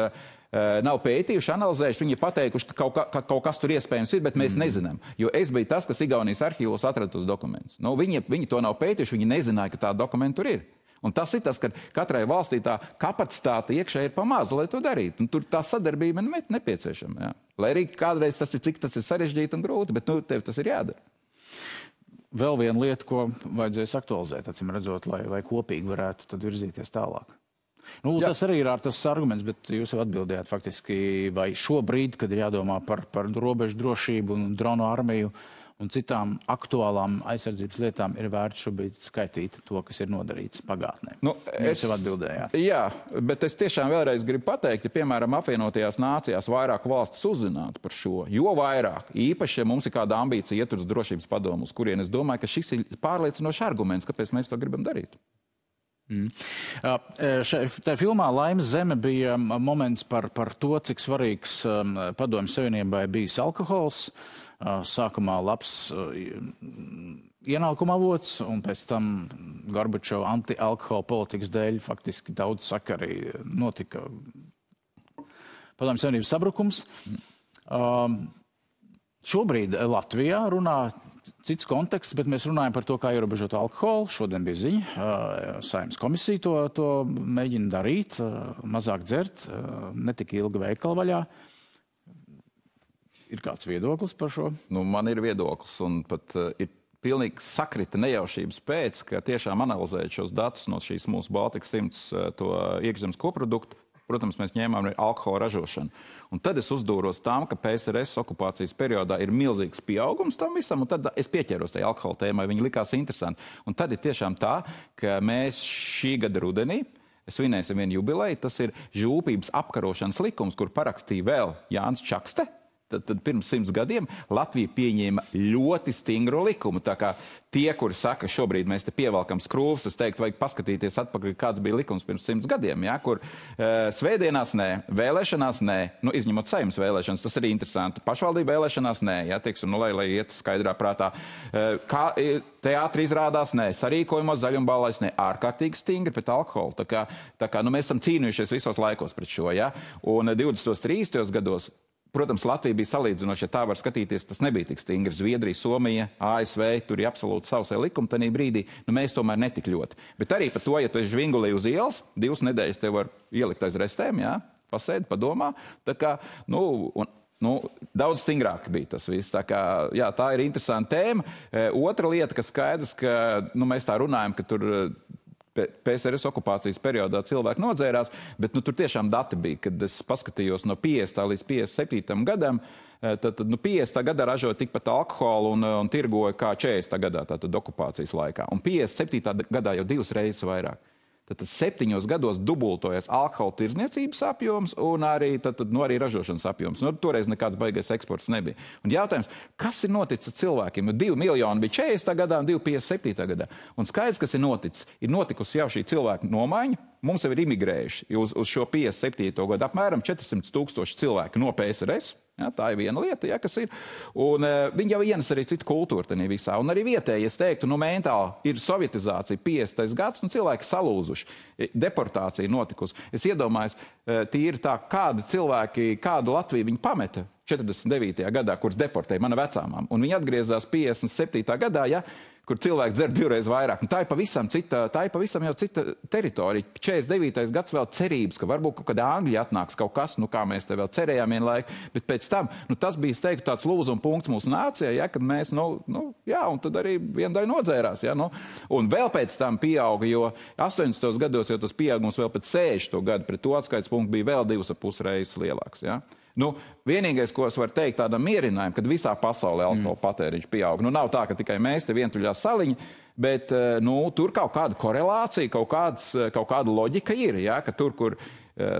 nav pētījuši, analizējuši, viņi ir pateikuši, ka kaut, ka, ka kaut kas tur iespējams ir, bet mēs mm. nezinām. Jo es biju tas, kas Igaunijas arhīvos atrada tos dokumentus. Nu, viņi, viņi to nav pētījuši, viņi nezināja, ka tā dokumenta tur ir. Un tas ir tas, ka katrai valstī tā kapacitāte iekšē ir pamāza, lai to darītu. Un tur tā sadarbība ir nepieciešama. Jā. Lai arī kādreiz tas ir, cik tas ir sarežģīti un grūti, bet nu, tev tas ir jādara. Vēl viena lieta, ko vajadzēs aktualizēt, acīm redzot, lai, lai kopīgi varētu tad virzīties tālāk. Nu, tas arī ir tas arguments, bet jūs jau atbildējāt faktiski, vai šobrīd, kad ir jādomā par, par robežu drošību un dronu armiju un citām aktuālām aizsardzības lietām, ir vērts šobrīd skaitīt to, kas ir nodarīts pagātnē. Nu, jūs jau atbildējāt. Jā, bet es tiešām vēlreiz gribu pateikt, ja, piemēram, apvienotajās nācijās vairāk valstis uzzinātu par šo, jo vairāk, īpaši, ja mums ir kāda ambīcija iet uz drošības padomu, uz kurien es domāju, ka šis ir pārliecinošs arguments, kāpēc mēs to gribam darīt. Mm. Tajā filmā Laimes zeme bija moments par, par to, cik svarīgs um, Padomju Savienībai bijis alkohols. Uh, sākumā labs uh, ienākuma avots, un pēc tam Gorbačova anti-alkohola politikas dēļ faktiski daudz saka arī notika Padomju Savienības sabrukums. Um, šobrīd Latvijā runā cits konteksts, bet mēs runājam par to, kā ierobežot alkoholu. Šodien bija ziņa, Saeimas komisija to, to mēģina darīt, mazāk dzert, netik ilgi veikala vaļā. Ir kāds viedoklis par šo? Nu, man ir viedoklis, un pat uh, ir pilnīgi sakrita nejaušības pēc, ka tiešām analizējot šos datus no šīs mūsu Baltika simts to iekšzemes koproduktu, protams, mēs ņēmām arī alkohola ražošanu. Un tad es uzdūros tam, ka P S R S okupācijas periodā ir milzīgs pieaugums tam visam, un tad es pieķēros tajā alkohola tēmai, viņi likās interesanti. Un tad ir tiešām tā, ka mēs šī gada rudenī svinēsim vienu jubileju, tas ir žūpības apkarošanas likums, kur parakstīja vēl Jānis Čakste. Tad, tad pirms simts gadiem Latvija pieņēma ļoti stingru likumu. Tā kā tie, kuri saka, šobrīd mēs te pievelkam skrūvas, es teiktu, vajag paskatīties atpakaļ, kāds bija likums pirms simts gadiem, ja, kur e, svētdienās nē, vēlēšanās nē, nu, izņemot Saeimas vēlēšanas, tas arī interesanti. Pašvaldība vēlēšanās nē, ja, teiksim, nu, lai, lai iet skaidrā prātā. E, kā teātri izrādās nē, sarīkojumos zaļumballais nē, ārkārtīgi stingri pret alkoholu. Tā kā, tā kā nu, mēs esam cīnījušies visos laikos pret šo, ja, un divdesmitos trīsdesmitos gados protams, Latvija bija salīdzinoši, ja tā var skatīties, tas nebija tik stingri. Zviedrija, Somija, A S V, tur ir absolūti savsē likumi tanī brīdī, nu mēs tomēr netik ļoti. Bet arī par to, ja tu esi žvingulī uz ielas, divas nedēļas tev var ielikt aiz restēm, jā, pasēdi, padomā, tā kā, nu, un, nu, daudz stingrāk bija tas viss. Tā kā, jā, tā ir interesanta tēma. E, otra lieta, kas skaidrs, ka, nu, mēs tā runājam, ka tur P S R S okupācijas periodā cilvēki nodzērās, bet nu, tur tiešām dati bija, kad es paskatījos no piecdesmitā līdz piecdesmit septītam gadam, tad, tad nu, piecdesmitā gadā ražoja tikpat alkoholu un, un tirgoja kā četrdesmitā gadā, tātad okupācijas laikā. Un piecdesmit septītā gadā jau divas reizes vairāk. Tad, tad septiņos gados dubultojas alkohola tirdzniecības apjoms un arī, tad, tad, nu, arī ražošanas apjoms. Nu, toreiz nekāds baigais eksports nebija. Un jautājums, kas ir noticis ar cilvēkiem? Nu, divi miljoni bija četrdesmitā gadā un divi piecdesmit septītā gadā. Un skaidrs, kas ir noticis, ir notikusi jau šī cilvēku nomaiņa. Mums jau ir imigrējuši uz, uz šo piecdesmit septīto gadu apmēram četrsimt tūkstoši cilvēki no P S R S. Ja, tā ir viena lieta, ja, kas ir. Un uh, viņi jau ienes arī citu kultūru tenī visā. Un arī vietēji, es teiktu, nu mentāli ir sovietizācija, piecdesmitais gads, un cilvēki salūzuši. Deportācija notikusi. Es iedomājos, uh, tīri tā, kādi cilvēki, kādu Latviju viņi pameta četrdesmit devītajā gadā, kuras deportēja mana vecāmām. Un viņi atgriezās piecdesmit septītā gadā, ja, kur cilvēki dzer divreiz vairāk. Un tā ir pavisam cita, tā ir pavisam jau cita teritorija. četrdesmit devītais gads vēl cerības, ka varbūt kaut kāda Angļi atnāks kaut kas, nu kā mēs te vēl cerējām vienu laiku, bet pēc tam, nu tas bija, es teiktu, tāds lūzuma punkts mūsu nācijai, ja, kad mēs, nu, nu, jā, un tad arī vienu daļu nodzērās, ja, nu. Un vēl pēc tam pieauga, jo astoņdesmitos gados jau tas pieaugums vēl pēc sešdesmito gadu pret to atskaits punktu bija vēl divas ar pus reizes lielāks, ja. Nu, vienīgais, ko es varu teikt tādam mierinājumu, kad visā pasaulē alkohola patēriņš pieaug. Nu, nav tā, ka tikai mēs te vientuļā saliņa, bet nu, tur kaut kāda korelācija, kaut, kāds, kaut kāda loģika ir, ja, ka tur, kur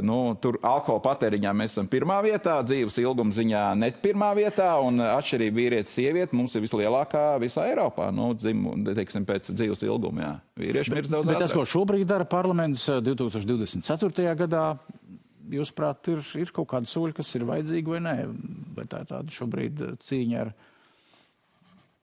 nu, tur alkohola patēriņā mēs esam pirmā vietā, dzīves ilguma ziņā net pirmā vietā, un atšķirība vīrietis sieviete mums ir vislielākā visā Eiropā, nu, dzimu, teiksim, pēc dzīves ilguma, jā. Vīrieši mirst daudz bet ātrāk. Tas, ko šobrīd dara parlaments divi tūkstoši divdesmit ceturtajā gadā, jūsuprāt, ir, ir kaut kādi soļi, kas ir vajadzīgi vai nē? Vai tā ir tāda šobrīd cīņa ar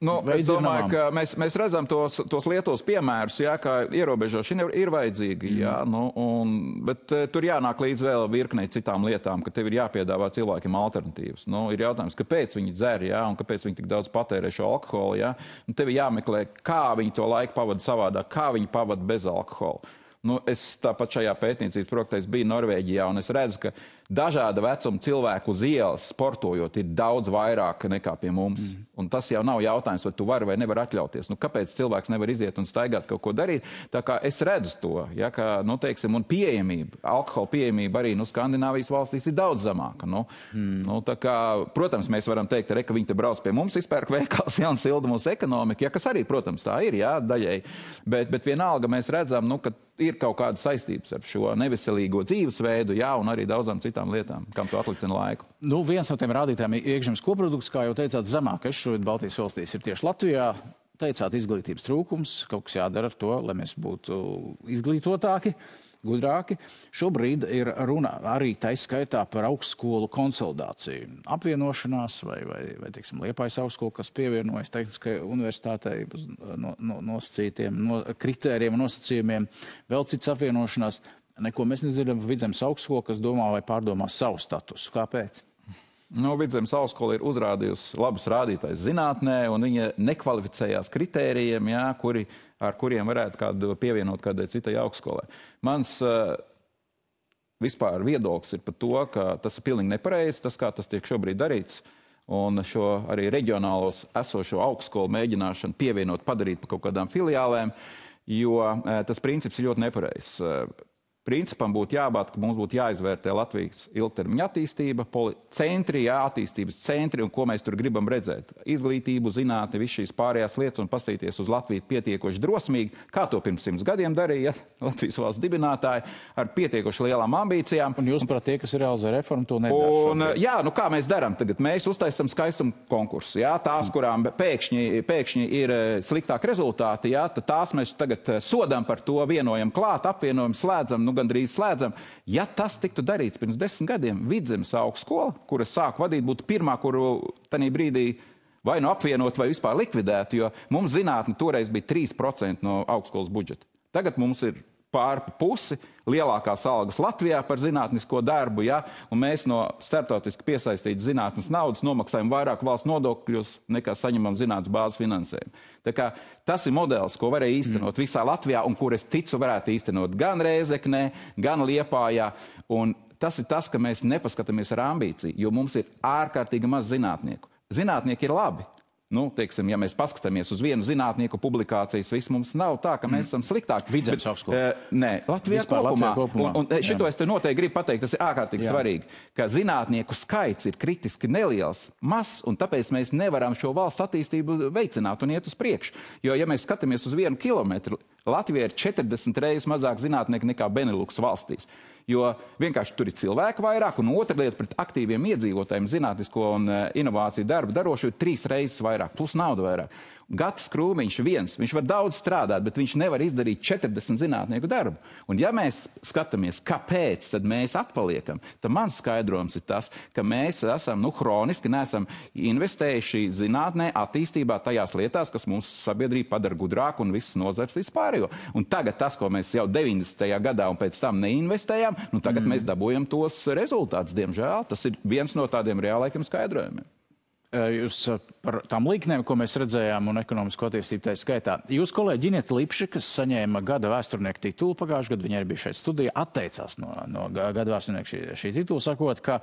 nu, es domāju, ka mēs, mēs redzam tos, tos Lietuvas piemērus, jā, ka ierobežošana ir, ir vajadzīga, mm. jā, nu, un, bet uh, tur jānāk līdz vēl virknei citām lietām, ka tev ir jāpiedāvā cilvēkiem alternatīvas. Nu, ir jautājums, kāpēc viņi dzer, jā, un kāpēc viņi tik daudz patērē šo alkoholu, jā, un tev ir jāmeklē, kā viņi to laiku pavada savādāk, kā viņi pavada bez alkohola. Nu, es tāpat šajā pētniecības projektā biju Norvēģijā, un es redzu, ka dažāda vecuma cilvēku uz ielas sportojot ir daudz vairāk nekā pie mums. Mm. Un tas jau nav jautājums, vai tu vari vai nevar atļauties. Nu, kāpēc cilvēks nevar iziet un staigāt kaut ko darīt? Tā kā es redzu to, ja, ka, nu, teiksim, un pieejamība, alkohola pieejamība arī, nu, Skandināvijas valstīs ir daudz zemāka. Nu, mm. nu, tā kā, protams, mēs varam teikt, re, ka viņi te brauc pie mums, izpērk veikals, ja, un silda mūsu ekonomika, ja, kas arī, protams, tā ir, jā, daļai. Bet, bet vienalga mēs redzam, nu, ka ir kaut kāda saistības ar šo neveselīgo dzīvesveidu, jā, un arī daudzām citām lietām, kam tu atlicina laiku. Nu, viens no tiem rādītājiem iekšzemes koprodukts, kā jau teicāt, zemākais šobrīd Baltijas valstīs ir tieši Latvijā. Teicāt, izglītības trūkums, kaut kas jādara ar to, lai mēs būtu izglītotāki, gudrāki. Šobrīd ir runa arī taiskaitā par augstskolu konsolidāciju. Apvienošanās vai, vai, vai teiksim, Liepājas augstskola, kas pievienojas tehniskai universitātei no, no, nosacītiem no, kritērijiem un nosacījumiem, vēl cits apvienošanās. Neko mēs nedzirdam par Vidzemes augstskolu, kas domā vai pārdomā savu statusu. Kāpēc? Nu, Vidzemes augstskola ir uzrādījusi labus rādītājus zinātnē, un viņa nekvalificējās kritērijiem, jā, kuri, ar kuriem varētu kādu pievienot kādai citai augstskolai. Mans uh, vispār viedoklis ir par to, ka tas ir pilnīgi nepareizi, tas, kā tas tiek šobrīd darīts. un šo arī reģionālos esošo augstskolu mēģināšanu pievienot, padarīt par kaut kādām filiālēm, jo tas princips ir ļoti nepareizs. Principam būtu jābūt, ka mums būtu jāizvērtē Latvijas ilgtermiņa attīstība, centri, jā, attīstības centri un ko mēs tur gribam redzēt. Izglītību, zinātni, visu šīs pārējās lietas un paskatīties uz Latviju pietiekoši drosmīgi, kā to pirms simts gadiem darīja Latvijas valsts dibinātāji, ar pietiekoši lielām ambīcijām. Un jūs, prāt, tie, kas ir realizē reformu, to nedara un, jā, nu kā mēs darām tagad? Mēs uztaisam skaistumu konkursu, jā, tās, kurām pēkšņi, pēkšņi ir sliktāk rezultāti, jā, tad tās mēs tagad sodām par to, vienojam klāt, apvienojam, slēdzam, nu gandrīz slēdzam. Ja tas tiktu darīts pirms desmit gadiem, Vidzemes augstskola, kura sāku vadīt, būtu pirmā, kuru tanī brīdī vai nu apvienot, vai vispār likvidēt, jo mums zinātne toreiz bija trīs procenti no augstskolas budžeta. Tagad mums ir pār pusi lielākās algas Latvijā par zinātnisko darbu, ja? Un mēs no starptautiski piesaistītas zinātnes naudas nomaksājam vairāk valsts nodokļus, nekā saņemam zinātnes bāzes finansējumu. Tā kā tas ir modelis, ko varēja īstenot mm. visā Latvijā, un kur es ticu varētu īstenot gan Rēzeknē, gan Liepājā. Un tas ir tas, ka mēs nepaskatāmies ar ambīciju, jo mums ir ārkārtīgi maz zinātnieku. Zinātnieki ir labi. Nu, teiksim, ja mēs paskatāmies uz vienu zinātnieku publikācijas, viss mums nav tā, ka mēs esam sliktāki. Vidzemes augstskola. Uh, nē, Latvijā Vispār kopumā. Latvijā kopumā. Un, un šito Jā. Es te noteikti gribu pateikt, tas ir ārkārtīgi Jā. Svarīgi, ka zinātnieku skaits ir kritiski neliels, mazs, un tāpēc mēs nevaram šo valsts attīstību veicināt un iet uz priekšu. Jo, ja mēs skatāmies uz vienu kilometru, Latvijā ir četrdesmit reizes mazāk zinātnieku nekā Benelux valstīs. Jo vienkārši tur ir cilvēku vairāk, un otra lieta pret aktīviem iedzīvotājiem zinātnisko un uh, inovāciju darbu darošu ir trīs reizes vairāk, plus nauda vairāk. Gatis Krūmiņš viens, viņš var daudz strādāt, bet viņš nevar izdarīt četrdesmit zinātnieku darbu. Un ja mēs skatāmies, kāpēc tad mēs atpaliekam, tad mans skaidrojums ir tas, ka mēs esam, nu, hroniski neesam investējuši zinātnē, attīstībā tajās lietās, kas mūsu sabiedrību padara gudrāku un visas nozars vispārējo. Un tagad tas, ko mēs jau deviņdesmitajā gadā un pēc tam neinvestējām, nu tagad mm. mēs dabūjam tos rezultātus, diemžēl. Tas ir viens no tādiem reālaikiem skaidrojumiem. Jūs par tām līknēm, ko mēs redzējām, un ekonomisko attīstību tā skaitā. Jūs kolēģi Gineta Lipši, kas saņēma gada vēsturnieku titulu pagājušajā gadā, viņa arī bija šeit studijā, atteicās no, no gada vēsturnieku šī, šī titula, sakot, ka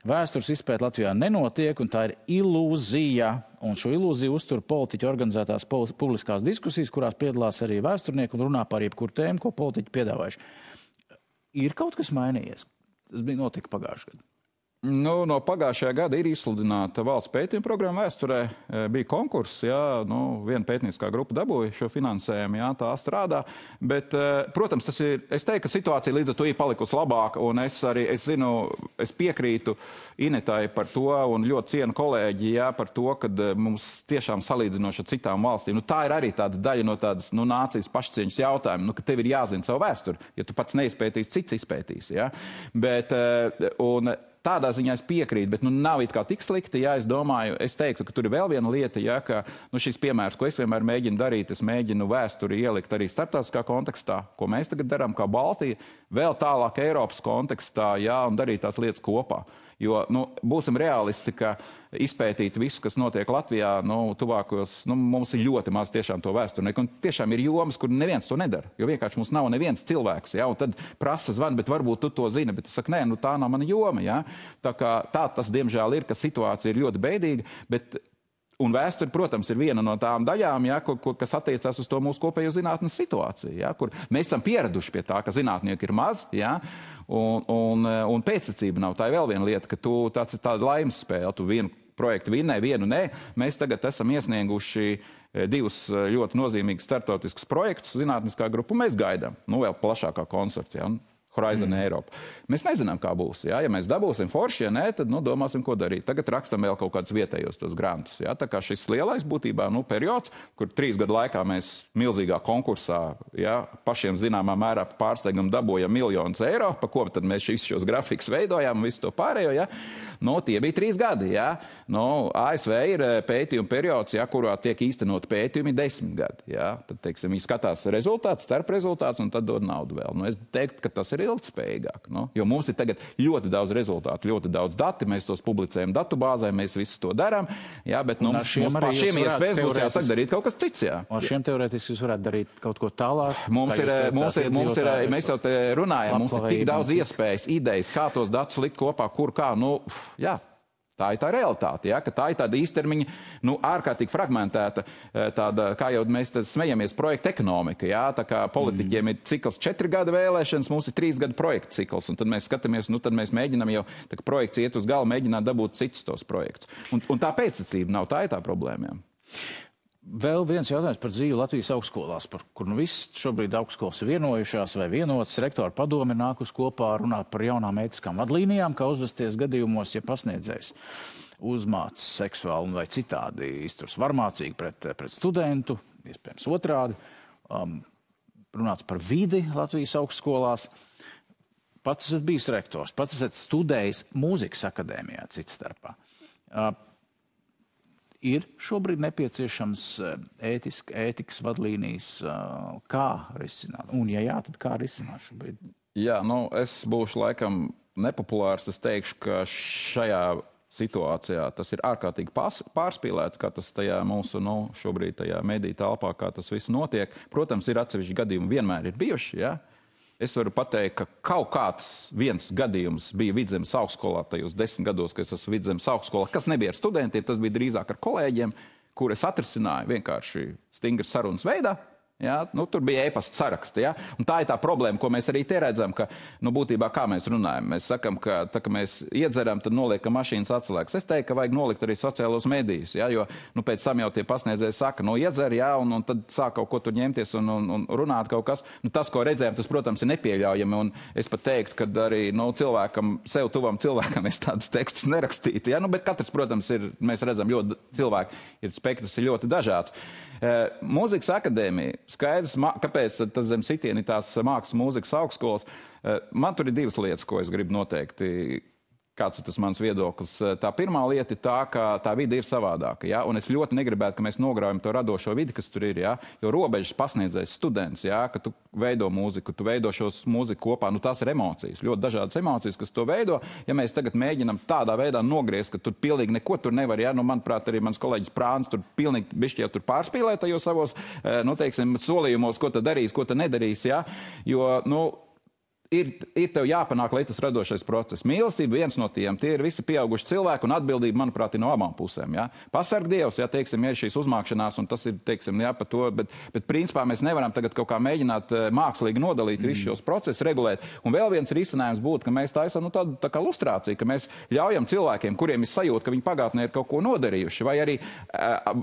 vēstures izpēta Latvijā nenotiek, un tā ir ilūzija. Un šo ilūziju uztur politiķi organizētās publiskās diskusijas, kurās piedalās arī vēsturnieki un runā par jebkuru tēmu, ko politiķi piedāvājuši. Ir kaut kas mainījies? Tas bija notika pagājušajā gadā. Nu, no pagājušajā gada ir izsludināta valsts pētījuma programma vēsturē. Bija konkurss, jā, nu, viena pētnieciskā grupa dabūja šo finansējumu, jā, tā strādā. Bet, protams, tas ir, es teiktu, ka situācija līdz ar to ir palikusi labāka, un es arī, es zinu, es piekrītu Inetai par to, un ļoti cienu kolēģi, jā, par to, ka mums tiešām salīdzinoši ar citām valstīm. Nu, tā ir arī tāda daļa no tādas, nu, nācijas pašcieņas jautājuma, nu, ka tev ir jāzina savu vēsturi, ja tu pats neizpētīsi, cits izpētīs, jā. Bet, un tādā ziņā es piekrītu, bet nu, nav it kā tik slikti, ja es domāju, es teiktu, ka tur ir vēl viena lieta, ja, ka nu, šis piemērs, ko es vienmēr mēģinu darīt, es mēģinu vēsturi ielikt arī starptautiskā kontekstā, ko mēs tagad darām kā Baltija, vēl tālāk Eiropas kontekstā, ja, un darīt tās lietas kopā. Jo, nu, būsim realisti, ka izpētīt visu, kas notiek Latvijā, nu, tuvākos, nu, mums ir ļoti maz tiešām to vēsturnieku, un tiešām ir jomas, kur neviens to nedara, jo vienkārši mums nav neviens cilvēks, ja, un tad prasa zvan, bet varbūt tu to zini, bet es saku, nē, nu, tā nav mana joma, ja. Tā kā tā tas, diemžēl, ir, ka situācija ir ļoti beidīga, bet un vēsture, protams, ir viena no tām daļām, ja, kur, kur, kas attiecās uz to mūsu kopējo zinātnes situāciju, ja, kur mēs esam pieraduši pie tā, ka zinātnieki ir maz, ja, un, un, un pēctecība nav. Tā ir vēl viena lieta, ka tu tāds ir tāda laimes spēle, tu vienu projektu vinnē, vienu nē. Mēs tagad esam iesnieguši divus ļoti nozīmīgus startautiskus projektus zinātniskā grupa, mēs gaidām, nu vēl plašākā konsorcijā. Horizon mm. Eiropa. Mēs nezinām, kā būs. Jā? Ja mēs dabūsim forši, ja nē, tad nu, domāsim, ko darīt. Tagad rakstam vēl kaut kādus vietējos tos grantus. Jā? Tā kā šis lielais būtībā nu, periods, kur trīs gadu laikā mēs milzīgā konkursā jā, pašiem zināmā mērā pārsteigam dabūjam miljonus eiro, pa ko tad mēs šis, šos grafikus veidojām un visu to pārējo. Jā? Nu, tie bija trīs gadi. Jā? Nu, A S V ir pētījuma periods, jā, kurā tiek īstenot pētījumi desmit gadi. Jā? Tad, teiksim, viņi skatās rezultātus, starp rezultātus un tad dod naudu vēl. Nu, es teiktu, ka tas ir ilgtspējīgāk. No? Jo mums ir tagad ļoti daudz rezultātu, ļoti daudz dati, mēs tos publicējam datubāzē, mēs visu to darām, jā, bet nu, mums, mums pašiem iespējas būs jāsaka darīt kaut kas cits, jā. Ar šiem teorētiski jūs varētu darīt kaut ko tālāk? Mums ir, mums ir, mums ir, mēs jau te runājam, mums ir tik daudz iespējas, idejas, kā tos datus likt kopā, kur kā, nu, jā. Tā ir tā realitāte, ja, ka tā ir tāda īstermiņa, nu, ārkārtīgi fragmentēta, tāda, kā jau mēs smejamies, projekta ekonomika, ja, tā kā politiķiem mm. ir cikls četri gada vēlēšanas, mums ir trīs gada projekta cikls, un tad mēs skatāmies, nu, tad mēs mēģinām jau, tā kā projekts iet uz galu, mēģināt dabūt citus tos projektus. Un, un tā pēctecība nav, tā ir tā problēma. Ja. Vēl viens jautājums par dzīvi Latvijas augstskolās, par kur nu viss šobrīd augstskolas ir vienojušās vai vienotas. Rektora padome nākus kopā runāt par jaunām ētiskām vadlīnijām, kā uzvesties gadījumos, ja pasniedzējs uzmāc seksuāli vai citādi izturs varmācīgi pret, pret studentu, iespējams otrādi. Um, runāts par vidi Latvijas augstskolās. Pats esat bijis rektors, pats esat studējis mūzikas akadēmijā cits starpā. Uh, Ir šobrīd nepieciešams ētisk, ētikas vadlīnijas, kā risināt? Un, ja jā, tad kā risināt šobrīd? Jā, nu, es būšu laikam nepopulārs. Es teikšu, ka šajā situācijā tas ir ārkārtīgi pārspīlēts, kā tas tajā mūsu, nu, šobrīd tajā mediju telpā, kā tas viss notiek. Protams, ir atsevišķi gadījumi, vienmēr ir bijuši, ja? Es varu pateikt, ka kaut kāds viens gadījums bija Vidzemes augstskolā tajos desmit gados, kad es esmu Vidzemes augstskolā, kas nebija ar studentiem, tas bija drīzāk ar kolēģiem, kur es atrisināju vienkārši stingras sarunas veidā. Ja? Nu, tur bija e-pasta saraksti. Ja? Un tā ir tā problēma, ko mēs arī te redzam, ka nu, būtībā kā mēs runājam. Mēs sakam, ka tā, ka mēs iedzeram, tad noliekam mašīnas atslēgas. Es teiktu, ka vajag nolikt arī sociālos medijus, ja? Jo nu, pēc tam jau tie pasniedzēji saka, nu iedzer, ja? un, un tad sāk kaut ko tur ņemties un, un, un runāt kaut kas. Nu, tas, ko redzējām, tas, protams, ir nepieļaujami. Un es pat teiktu, ka arī nu, cilvēkam, sev tuvam cilvēkam es tādas tekstus nerakstītu. Ja? Nu, bet katrs, protams, ir, mēs redzam, ļoti cilvēki ir spektrs ir ļoti dažāds. Uh, Mūzikas akadēmija, skaidrs, kāpēc tas zem sitieni tās mākslas mūzikas augstskolas. Uh, man tur ir divas lietas, ko es gribu noteikti. Kāds ir tas mans viedoklis? Tā pirmā lieta ir tā, ka tā vide ir savādāka. Ja? Un es ļoti negribētu, ka mēs nograujam to radošo vidi, kas tur ir. Ja? Jo robežas pasniedzējs students, ja? Ka tu veido mūziku, tu veido šos mūziku kopā, nu tās ir emocijas. Ļoti dažādas emocijas, kas to veido. Ja mēs tagad mēģinam tādā veidā nogriezt, ka tur pilnīgi neko tur nevar, ja? Nu, manuprāt, arī mans kolēģis Prāns tur pilnīgi bišķi jau tur pārspīlē tajos savos, nu, teiksim, solījumos, ko tad darīs, ko tad nedarīs. Ja? Jo, nu, Ir, ir tev jāpanāk, lai tas radošais process. Mīlestība viens no tiem, tie ir visi pieauguši cilvēki un atbildība, manuprāt, ir no abām pusēm. Ja? Pasarg Dievs, ja, teiksim, ir šīs uzmākšanās un tas ir, teiksim, jā, par to, bet, bet principā mēs nevaram tagad kaut kā mēģināt mākslīgi nodalīt mm. visus šos procesus, regulēt. Un vēl viens risinājums būtu, ka mēs taisam nu, tādu tā kā lustrāciju, ka mēs ļaujam cilvēkiem, kuriem ir sajūta, ka viņi pagātnē ir kaut ko nodarījuši, vai arī uh,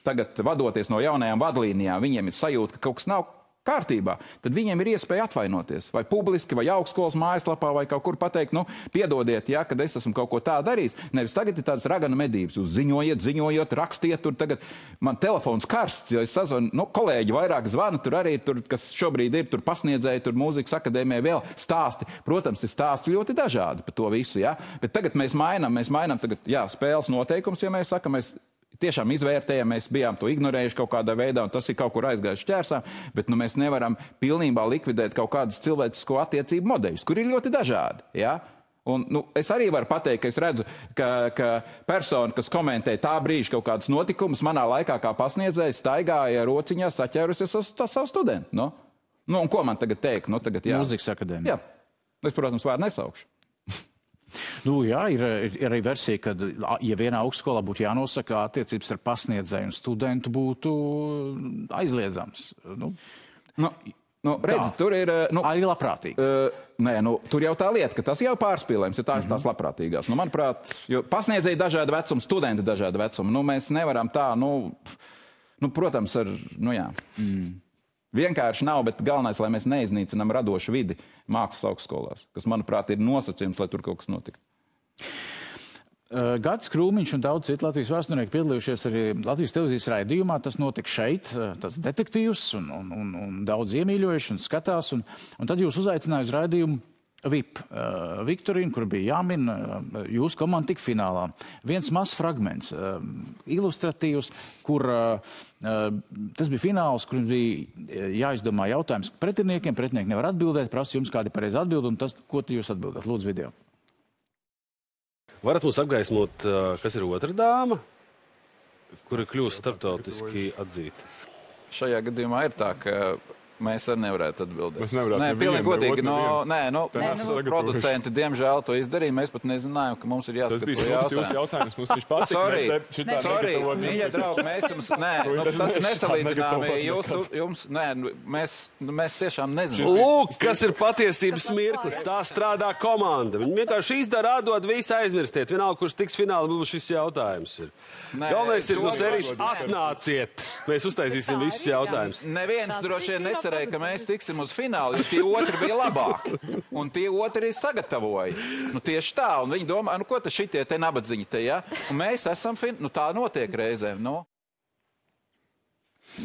tagad vadoties no jaunajām vadlīnijām, viņiem ir sajūta, ka kaut kas nav kārtībā, tad viņiem ir iespēja atvainoties. Vai publiski, vai augstskolas mājaslapā, vai kaut kur pateikt, nu, piedodiet, ja, kad es esmu kaut ko tā darījis. Nevis tagad ir tādas raganu medības. Jūs ziņojiet, ziņojiet, rakstiet, tur tagad man telefons karsts, jo es sazvanu, nu, kolēģi vairāk zvana, tur arī, tur, kas šobrīd ir, tur pasniedzēji, tur mūzikas akadēmijā vēl stāsti. Protams, ir stāsti ļoti dažādi par to visu, ja. Bet tagad mēs mainām, mēs mainām tagad, jā, spēles noteikums, ja mēs sakam, mēs tiešām izvērtējam, mēs bijām to ignorējuši kaut kādā veidā, un tas ir kaut kur aizgājuši ķērsām, bet nu, mēs nevaram pilnībā likvidēt kaut kādus cilvēcisko attiecību modeļus, kur ir ļoti dažādi. Ja? Un, nu, es arī varu pateikt, ka es redzu, ka, ka persona, kas komentē tā brīža kaut kādus notikumus, manā laikā kā pasniedzējs staigāja rociņā saķērusies uz savu studentu. Nu? Nu, un ko man tagad teikt? Nu, tagad, jā. Mūzikas akadēmija. Jā. Es, protams, vārdu nesaukšu. Nu, jā, ir, ir arī versija, ka, ja vienā augstskolā būtu jānosaka, attiecības ar pasniedzēju un studentu būtu aizliedzams. Nu, nu, nu, redzi, tur ir... Nu, arī labprātīgi. Uh, nē, nu, tur jau tā lieta, ka tas jau pārspīlējums, ja tās mm-hmm. tās labprātīgās. Nu, manuprāt, jo pasniedzēji dažāda vecuma, studenti dažāda vecuma. Nu, mēs nevaram tā, nu, nu protams, ar, nu jā... Mm. Vienkārši nav, bet galvenais, lai mēs neiznīcinām radošu vidi mākslas augstskolās, kas, manuprāt, ir nosacījums, lai tur kaut kas notiktu. Uh, Gatis Krūmiņš un daudz citu Latvijas vēsturnieki piedalījušies arī Latvijas televīzijas raidījumā. Tas notika šeit, tas detektīvs un, un, un, un daudz iemīļojuši un skatās. Un, un tad jūs uzaicināju uz raidījumu V I P uh, Viktorīnu, kur bija jāmin, uh, jūsu komanda tik finālā. Viens mazs fragments, uh, ilustratīvs, kur uh, uh, tas bija fināls, kur bija jāizdomā jautājums pretiniekiem. Pretinieki nevar atbildēt, prasa jums kādi pareizi atbildi, un tas, ko jūs atbildat? Lūdzu, video. Varat mums apgaismot, kas ir otra dāma, kura kļūst starptautiski atzīta? Šajā gadījumā ir tā, ka Mēs arī nevarētu atbildēt. Mēs nevarētu Nē, nevienu, pilnīgi godīgi. nevienu. No, nē, nu, Te mūsu neesam producenti, diemžēl, to izdarīja. Mēs pat nezinājām, ka mums ir Tas jāskat bija to sūds jūsu jautājumu. jautājums, mums viņš patika. Sorry, Mēs te- šitā sorry, negatavojam mīļie jums- draugi, mēs jums, nē, To nu, es tas ir neesmu nesalīdzināmi. negatavojis Jūs, nekad. jums, nē, nu, mēs, nu, mēs tiešām nezinām. Lūk, kas ir patiesības mirklis. Tā strādā komanda. Viņi vienkārši izdara, atdod, visu aizmirstiet. Vienalga, kurš tiks fināli, būs šis jautājums. Ir. Nē, Galvenais ir to no sērijas nevar- atnāciet. Mēs uztaisīsim visus jautājumus. Neviens droši vien necerēja, ka mēs tiksim uz finālu, jo tie otri bija labāki. Un tie otri sagatavoja. Nu, tieši tā. Un viņi domā, nu, ko tas šitie te nabadzīņi te, ja? Un mēs esam, fin... nu, tā notiek reizēm, nu.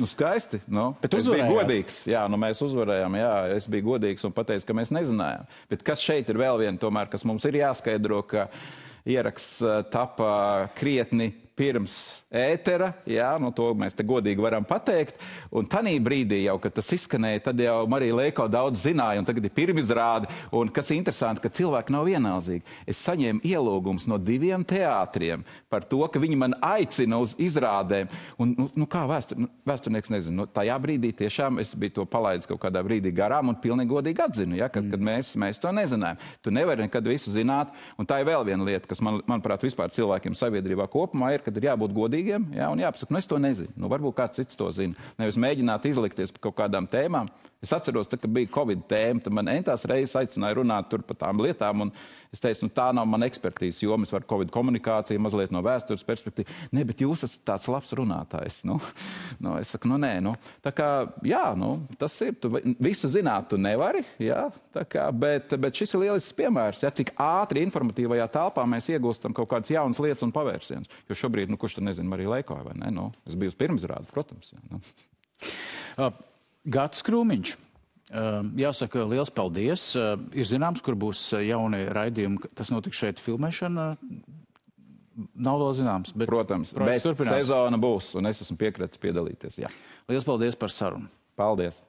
Nu, skaisti, nu. Bet es biju uzvarējāt. godīgs. Jā, nu, mēs uzvarējām, jā, es biju godīgs un pateicu, ka mēs nezinājām. Bet kas šeit ir vēl viena tomēr, kas mums ir jāskaidro, ka ieraksts uh, tapa krietni pirms ētera, jā, nu to mēs te godīgi varam pateikt, un tanī brīdī jau, kad tas izskanēja, tad jau Marija Leiko daudz zināja, un tagad ir pirmizrāde, un kas ir interesanti, ka cilvēki nav vienaldzīgi. Es saņēmu ielūgums no diviem teātriem par to, ka viņi man aicina uz izrādēm, un, nu, nu kā vēstur, nu, vēsturnieks nezinu, nu, tajā brīdī tiešām es biju to palaidis kaut kādā brīdī garām un pilnīgi godīgi atzinu, ja, kad, mm. kad mēs, mēs to nezinājām. Tu nevari nekad visu zināt, un tā ir vēl viena lieta, kas man, manuprāt, vispār cilvēkiem sabiedrībā kopumā ir, kad ir jābūt godīgiem, jā, un jāpasaka, nu es to nezinu. Nu, varbūt kāds cits to zina. Nevis mēģināt izlikties par kaut kādām tēmām. Es atceros, tad, kad bija Covid tēma, tad man entās reizes aicināja runāt tur par tām lietām, un es teicu, nu tā nav mana ekspertīze, jo es varu Covid komunikāciju mazliet no vēstures perspektīvas. Nē, bet jūs esat tāds labs runātājs. Nu, nu, es saku, nu nē, nu. Tā kā, jā, nu, tas ir, tu visu zināt tu nevari, jā, tā kā, bet, bet šis ir lielisks piemērs, ja, cik ātri informatīvajā telpā mēs iegūstam kaut kādas jaunas lietas un pavērsienus. Jo šobrīd, nu, kurš tad nezina, Marija Leiko, vai ne? Nu, es biju uz pirmizrādi, protams. Jā, nu. Uh, Gatis Krūmiņš. Uh, jāsaka, liels paldies. Uh, ir zināms, kur būs jauni raidījumi. Tas notiks šeit filmēšana. Nav vēl zināms. Bet Protams, bet turpinās. sezona būs, un es esmu piekritis piedalīties. Jā. Liels paldies par sarunu. Paldies!